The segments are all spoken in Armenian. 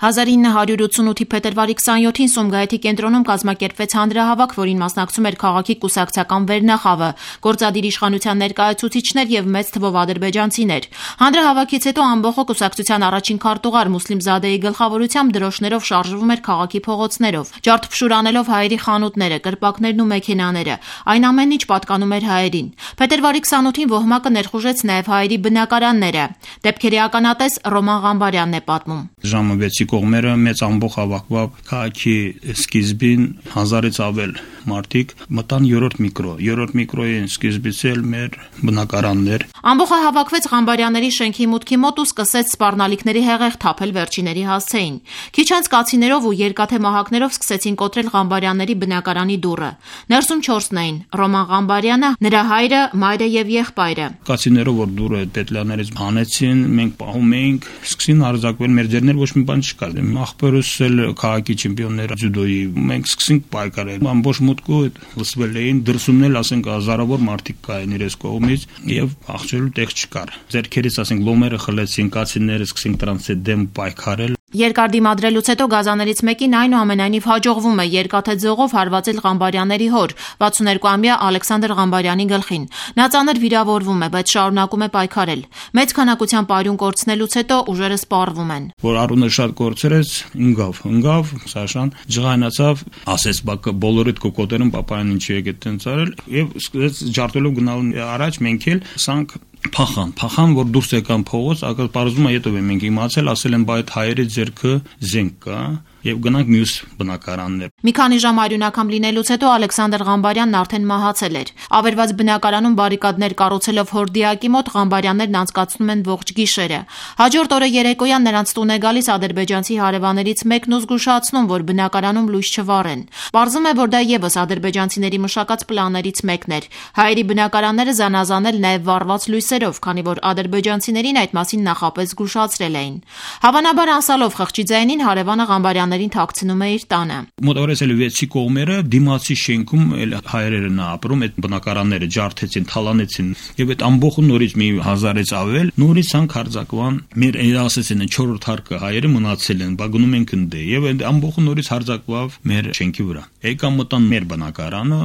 1988-ի փետրվարի 27-ին Սումգայիթի կենտրոնում կազմակերպվեց հանրահավաք, որին մասնակցում էր քաղաքի կուսակցական վերնախավը, գործադիր իշխանության ներկայացուցիչներ եւ մեծ թվով ադրբեջանցիներ։ Հանրահավաքից հետո ամբողջ կուսակցության առաջին քարտուղար Մուսլիմ Զադեի գլխավորությամբ դրոշներով շարժվում էր քաղաքի փողոցներով, ջարդփշուր անելով հայերի խանութները, կրպակներն ու մեքենաները։ Այն ամենն ինչ պատկանում էր հայերին։ Փետրվարի 28-ին ոհմակը ներխուժեց նաեւ հայերի բնակարանները։ Դեպքերի ականատես Ռոման Ղամբարյանն է պատմում։ Ժամը 6-ի կողմերը մեծ ամբողջ հավաքվավ քաղաքի սկիզբին 1000-ից ավել մարդիկ մտան 3-րդ միկրոյին սկիզբից էլ մեր բնակարաններ։ Ամբողջը հավաքվեց Ղամբարյանների շենքի մուտքի մոտ ու սկսեց սպառնալիքների հեղեղ թափել վերջիների հասցեին։ Քիչ անց կացիներով ու երկաթե մահակներով սկսեցին կոտրել Ղամբարյանների բնակարանի դուռը։ Ներսում 4-ն էին՝ Ռոման Ղամբարյանը, նրա հայրը, մայրը եւ եղբայրը։ Կացիներով որ դուռը պետլաներից հանեցին, մենք պահում էինք, սկսին արձակվել մեր ձեռներ, ոչ մի բան չկար։ Ախպերս էլ քաղաքի չեմպիոններ ձյուդոյի, մենք սկսենք պայքարել։ Ամբողջ մուտքը լսվել էին, դրսումն էլ ասենք հազարավոր մարդիկ կային իրենց կողմից եւ աղջելու տեղ չկար։ Ձեռքերից ասենք լոմերը խլեցին, կացիները սկսին դրանց հետ դեմ պայքարել։ Երկար դիմադրելուց հետո գազաներից մեկին այնուամենայնիվ հաջողվում է երկաթե ձողով հարվածել Ղամբարյանների հոր 62-ամյա Ալեքսանդր Ղամբարյանի գլխին։ Նա ծանր վիրավորվում է, բայց շարունակում է պայքարել։ Մեծ քանակությամբ արյուն կորցնելուց հետո ուժերը սպառվում են։ Որ արունը շատ կորցրեց, ընկավ, Սաշան ջղայնացավ, ասեց բակը բոլորիդ կոկոտերում պապայան ինչի եկեք տենց արել եւ սկսեց ջարդելով գնալ առաջ մենք էլ սանք փախան, որ դուրս եկան փողոց, ակալ պարզում է հետո մենք իմացել, ասել են բայդ հայերի ձեռքը զենք կա եւ գնանք մյուս բնակարաններ։ Մի քանի ժամ արյունակամ լինելուց հետո Ալեքսանդր Ղամբարյանն արդեն մահացել էր։ Ավերված բնակարանում բարիկադներ կառուցելով հորդիակի մոտ Ղամբարյաններն անցկացնում են ողջ գիշերը։ Հաջորդ օրը երեկոյան նրանց տուն է գալիս ադրբեջանցի հարևաններից մեկն ու զգուշացնում, որ բնակարանում լույս չվառեն։ Պարզում է, որ դա եւս ադրբեջանցիների մշակած պլաններից մեկն էր։ Հայերի բնակարանները զանազանել նաեւ վառված լույսերով, քանի որ ադրբեջանցիներին այդ մասին նախապես զգուշացրել էին։ Հավանաբար անսալով խղճի ձայնին հարևանը Ղամբարյաններին թաքցնում է իր տանը։ Մոտավորապես 6-ի կողմերը դիմացի շենքում էլ հայերն են ապրում, այդ բնակարանները ջարդեցին, թալանեցին եւ այդ ամբողջը նորից մի 1000-ից ավել նորից ցանկ հարձակվան։ Մեր ասեցին 4-րդ հարկը հայերը մնացել են, բա գնում են կնդե եւ այդ ամբողջը նորից հարձակվավ մեր շենքի վրա։ Եկան մտան մեր բնակարանը,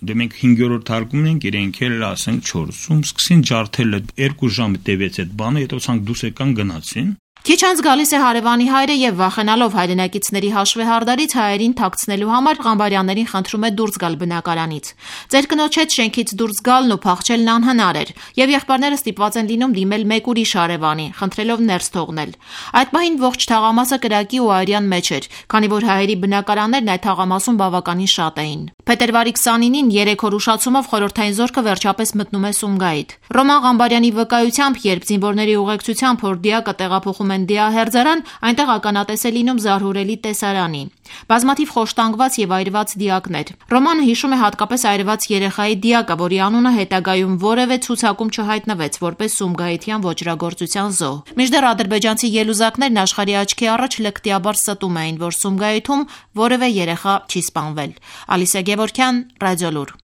դե մենք 5-րդ հարկում ենք, իրենք էլ ասենք 4-ում սկսին ջարդել 2 ժամ տևեց այդ բանը, հետո ցանկ դուս եկան գնացին։ Քիչ անց գալիս է հարևանի հայրը եւ վախենալով հայրենակիցների հաշվեհարդարից հայերին թաքցնելու համար Ղամբարյաններին խնդրում է դուրս գալ բնակարանից։ Ձեր կնոջ հետ շենքից դուրս գալն ու փախչելն անհնար էր եւ եղբայրները ստիպված են լինում դիմել մեկ ուրիշ հարևանի, խնդրելով ներս թողնել։ Այդ պահին ողջ թաղամասը կրակի ու արյան մեջ էր, քանի որ հայերի բնակարաններն այդ թաղամասում բավականին շատ էին։ Փետրվարի 29-ին 3 օր ուշացումով խորհրդային զորքը վերջապես մտնում է Սումգայիթ։ Ռոման Ղամբարյանի վկայությամբ, երբ զինվորների ուղեկցությամբ հորդիակը տեղափոխում են Դիահերձարան, այնտեղ ականատես է լինում զարհուրելի տեսարանի։ Բազմաթիվ խոշտանգված եւ այրված դիակներ։ Ռոմանը հիշում է հատկապես այրված երեխայի դիակը, որի անունը հետագայում որևէ ցուցակում չհայտնվեց որպես սումգայիթյան ոճրագործության զոհ։ Մինչդեռ ադրբեջանցի ելուզակներն աշխարհի աչքի առաջ լկտիաբար ստում էին, որ Սումգայիթում որևէ երեխա չի սպանվել։ Ալիսա Գևորգյան, Ռադիոլուր։